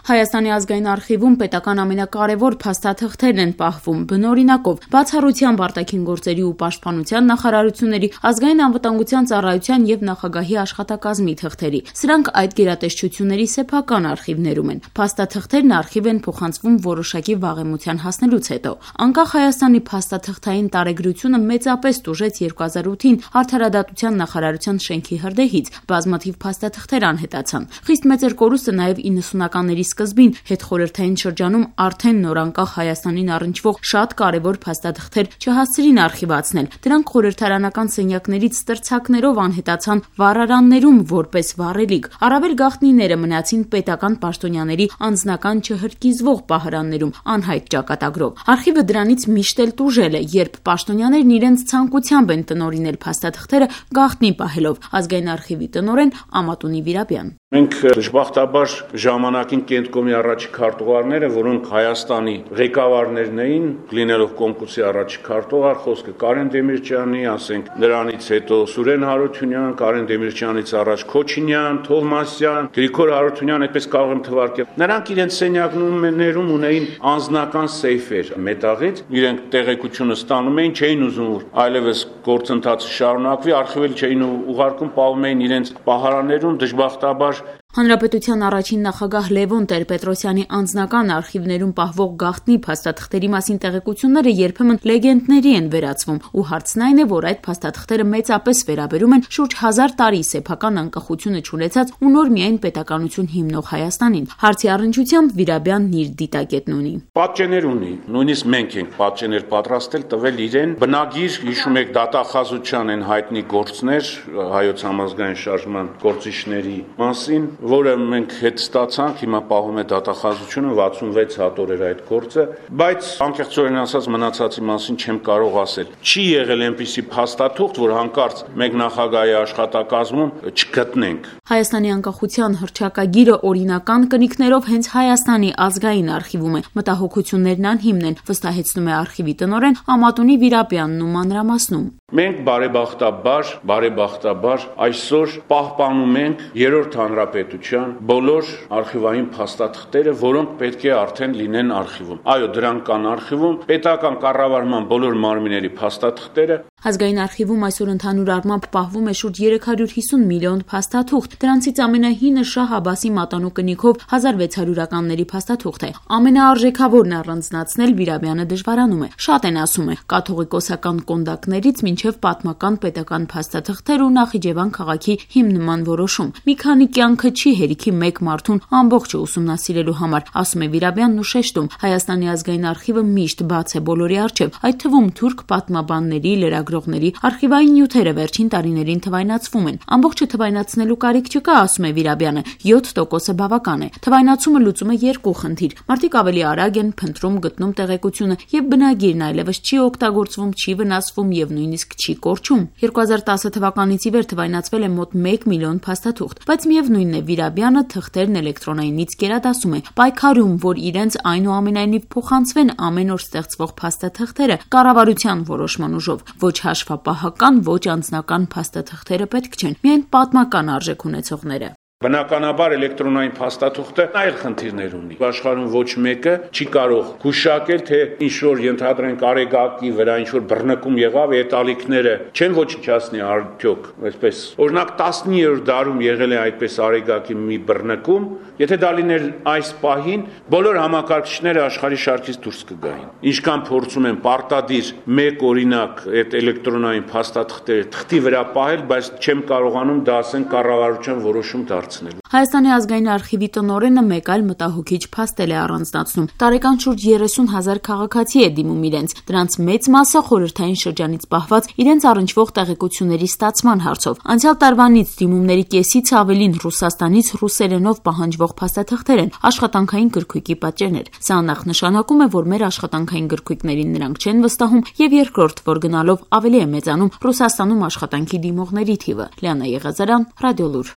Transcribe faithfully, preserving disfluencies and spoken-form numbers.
Հայաստանի ազգային արխիվում պետական ամենակարևոր փաստաթղթերն են պահվում բնօրինակով, բացառությամբ արտաքին գործերի ու պաշտպանության նախարարությունների, ազգային անվտանգության ծառայության եւ նախագահի աշխատակազմի թղթերի։ Սրանք այդ գերատեսչությունների սեփական արխիվներում են։ Փաստաթղթերն արխիվ են փոխանցվում որոշակի վաղեմության հասնելուց հետո։ Անկախ Հայաստանի փաստաթղթային տարեգրությունը մեծապես տուժեց երկու հազար ութին Արդարադատության նախարարության շենքի հրդեհից, բազմաթիվ փաստաթղթեր անհետացան։ Խիստ մեծ էր կորուստը նաեւ իննսունականների սկզբին հետխորհրդային շրջանում արդեն նորանկախ Հայաստանին առնչվող շատ կարևոր փաստաթղթեր չհասցրին արխիվացնել։ Դրանք խորհրդարանական սենյակներից ստրցակներով անհետացան վառարաններում որպես վառելիք։ Առավել գաղտնիները մնացին պետական պաշտոնյաների անձնական չհրկիզվող պահարաններում անհայտ ճակատագրով։ Արխիվը դրանից միշտ էլ տուժել է, երբ պաշտոնյաներն իրենց ցանկությամբ են տնօրինել փաստաթղթերը գաղտնի պահելով։ Ազգային արխիվի տնօրեն Ամատունի Վիրաբյան։ Մենք դժբախտաբար ժամանակին Կենտկոմի առաջի քարտուղարները, որոնք Հայաստանի ղեկավարներն էին, լինելով Կոմկուսի առաջի քարտուղար, խոսքը Կարեն Դեմիրճյանի, ասենք նրանից հետո Սուրեն Հարությունյան, Կարեն Դեմիրճյանից առաջ Քոչինյան, Թովմասյան, Գրիգոր Հարությունյան, այդպես կարող եմ թվարկել։ Նրանք իրենց սենյակներում ունեին անձնական սեյֆեր մետաղից, իրենք տեղեկությունը ստանում էին, չէին ուզում որ այլևս գործընթացը շարունակվի, արխիվել չէին ուղարկում, պահում էին իրենց պահարաններում, դժբախտաբար Հանրապետության առաջին նախագահ Լևոն Տեր-Պետրոսյանի անձնական արխիվներում պահվող գաղտնի փաստաթղթերի մասին տեղեկությունները երբեմն լեգենդների են վերածվում, ու հարցն այն է, որ այդ փաստաթղթերը մեծապես վերաբերում են շուրջ հազար տարի սեփական անկախությունը չունեցած ու նոր միայն պետականություն հիմնող Հայաստանին։ Հարցի առնչությամբ Վիրաբյանն իր դիտակետն ունի։ Պատճեններ ունի, նույնիսկ մենք ենք պատճեններ պատրաստել, տվել իրեն բնագիր, հիշում եք դատախազության են հայտնի գործներ հայոց համազգային շարժման գործիչների մասին, որը մենք հետ ստացանք, հիմա պահում է դատախազությունը, վաթսունվեց հատոր էր այդ գործը, բայց անկեղծորեն ասած մնացածի մասին չեմ կարող ասել։ Չի եղել այնպիսի փաստաթուղթ, որ հանկարծ մեկ նախագահի աշխատակազմում չգտնենք։ Հայաստանի անկախության հռչակագիրը օրինական կնիքներով հենց Հայաստանի ազգային արխիվում է։ Մտահոգություններն անհիմն են, վստահեցնում է արխիվի տնօրեն Ամատունի Վիրաբյանն ու մանրամասնում։ Մենք բարեբախտաբար, բարեբախտաբար այսօր պահպանում ենք երրորդ հանրապետության բոլոր արխիվային փաստաթղթերը, որոնք պետք է արդեն լինեն արխիվում։ Այո, դրանք կան արխիվում, պետական կառավարման բոլոր մարմինների փաստաթղթերը։ Ազգային արխիվում այսօր ընդհանուր առմամբ պահվում է շուրջ երեք հարյուր հիսուն միլիոն փաստաթուղթ։ Դրանցից ամենահինը Շահ Աբասի մատանու կնիքով հազար վեց հարյուրականների փաստաթուղթ է։ Ամենաարժեքավորն առանձնացնել Վիրաբյանը դժվարանում է։ Շատ են ասում է կաթողիկոսական կոնդակներից մինչև պատմական պետական փաստաթղթեր ու Նախիջևան քաղաքի հիմնման որոշում։ Մի քանի կյանքը չի հերիքի մեկ մարդուն ամբողջը ուսումնասիրելու համար, ասում է Վիրաբյանն ու շեշտում։ Հայաստանի ազգային արխիվը միշտ բաց է բոլորի առջև, այդ թվում թուրք պատմաբանների, լրագրողների, արխիվային նյութերը վերջին տարիներին թվայնացվում են։ Ամբողջը թվայնացնելու կարիք չկա, ասում է Վիրաբյանը, յոթ տոկոսը բավական է։ Թվայնացումը լուծում է երկու խնդիր։ Մարդիկ ավելի արագ են փնտրում, գտնում տեղեկությունը, եւ բնագիրն այլևս չի օգտագործվում, չի վնասվում եւ նույնիսկ չի կորչում։ երկու հազար տասը թվականից ի վեր թվայնացվել է մոտ մեկ միլիոն փաստաթուղթ, բայց միևնույնն է Վիրաբյանը թղթերն էլեկտրոնայինից գերադասում է, պայքարում, որ իրենց այնուամենայնիվ փոխանցվեն ամեն օր ստեղծվող փաստաթղթերը կառավարության որոշման ուժով։ Ոչ հաշվապահական, ոչ անձնական փաստաթղթերը պետք չեն, միայն պատմական արժեք ունեցողները։ Բնականաբար էլեկտրոնային փաստաթուղթը այլ խնդիրներ ունի։ Աշխարհում ոչ մեկը չի կարող գուշակել, թե ինչ որ ենթադրենք արեգակի վրա ինչ որ բռնկում եղավ, այդ ալիքները չեն ոչնչացնի արդյոք, այսպես։ Օրինակ տասնիններորդ դարում եղել է այդպես արեգակի մի բռնկում, եթե դա լիներ այս պահին, բոլոր համակարգիչները աշխարհի շարքից դուրս կգային։ Ինչքան փորձում են պարտադիր մեկ օրինակ այդ էլեկտրոնային փաստաթղթերը թղթի վրա պահել, բայց չեմ կարողանում դա ասեն կառավարության որոշում դարձնել։ Հայաստանի ազգային արխիվի տնօրենը մեկ այլ մտահոգիչ փաստ է առանձնացնում։ Տարեկան շուրջ երեսուն հազար քաղաքացի է դիմում իրենց։ Դրանց մեծ մասը խորհրդային շրջանից պահված իրենց առնչվող տեղեկությունների ստացման հարցով։ Անցյալ տարվանից դիմումների կեսից ավելին Ռուսաստանից ռուսերենով պահանջվող փաստաթղթեր են, աշխատանքային գրքույկի պատճեններ։ Սա նախնշանակում է, որ մեր աշխատանքային գրքույկներին նրանք չեն վստահում, եւ երկրորդ, որ գնալով ավելի է մեծանում Ռուսաստանում աշխատանքի դիմողների թիվը։ Լիանա Եղազարյան, Ռադիոլուր։